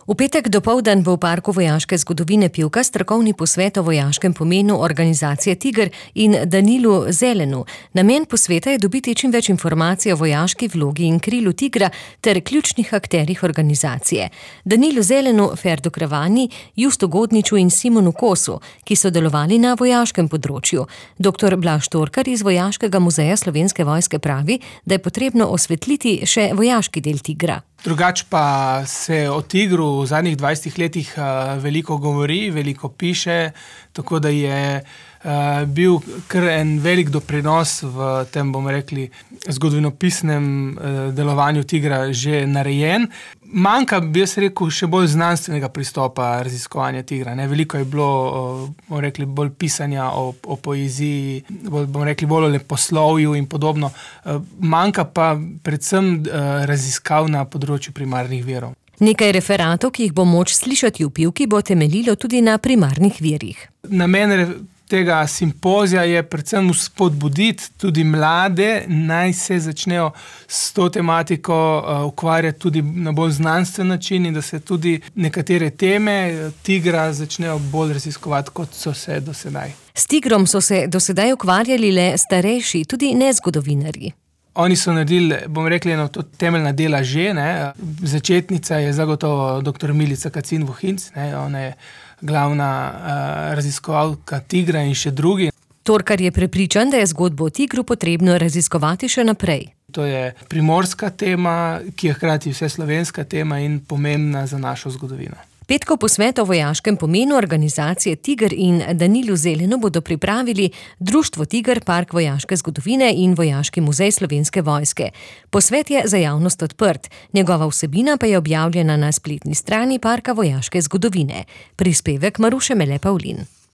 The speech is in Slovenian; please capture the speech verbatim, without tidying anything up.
V petek dopoldan bo v Parku vojaške zgodovine Pivka strokovni posvet o vojaškem pomenu organizacije Tiger in Danilu Zelenu. Namen posveta je dobiti čim več informacij o vojaški vlogi in krilu Tigra ter ključnih akterjih organizacije. Danilu Zelenu, Ferdu Kravani, Justu Godniču in Simonu Kosu, ki so delovali na vojaškem področju. Doktor Blaž Torkar iz Vojaškega muzeja Slovenske vojske pravi, da je potrebno osvetliti še vojaški del Tigra. Drugač pa se o Tigru v zadnjih dvajsetih letih veliko govori, veliko piše, tako da je bil kar en velik doprinos v tem, bomo rekli, zgodovinopisnem delovanju Tigra že narejen. Manjka, bi jaz rekel, še bolj znanstvenega pristopa raziskovanja Tigra. Ne? Veliko je bilo, bomo rekli, bolj pisanja o, o poeziji, bolj, bomo rekli, bolj o leposlovju in podobno. Manjka pa predvsem raziskav na področju primarnih virov. Nekaj referatov, ki jih bo moč slišati v Pivki, bo temeljilo tudi na primarnih virih. Namen tega simpozija je predvsem spodbuditi tudi mlade, naj se začnejo s to tematiko ukvarjati tudi na bolj znanstven način in da se tudi nekatere teme Tigra začnejo bolj raziskovati, kot so se do sedaj. S Tigrom so se do sedaj ukvarjali le starejši, tudi ne zgodovinarji. Oni so naredili, bom rekli, eno to temeljna dela že, ne. Začetnica je zagotovo doktor Milica Kacin-Vohinc, ne, ona je glavna uh, raziskovalka Tigra in še drugi. Torkar je prepričan, da je zgodbo o Tigru potrebno raziskovati še naprej. To je primorska tema, ki je hkrati vseslovenska tema in pomembna za našo zgodovino. Petkov posvet o vojaškem pomenu organizacije Tiger in Danilu Zelenu bodo pripravili Društvo Tiger, Park vojaške zgodovine in Vojaški muzej Slovenske vojske. Posvet je za javnost odprt, njegova vsebina pa je objavljena na spletni strani Parka vojaške zgodovine. Prispevek Maruše Mele Pavlin.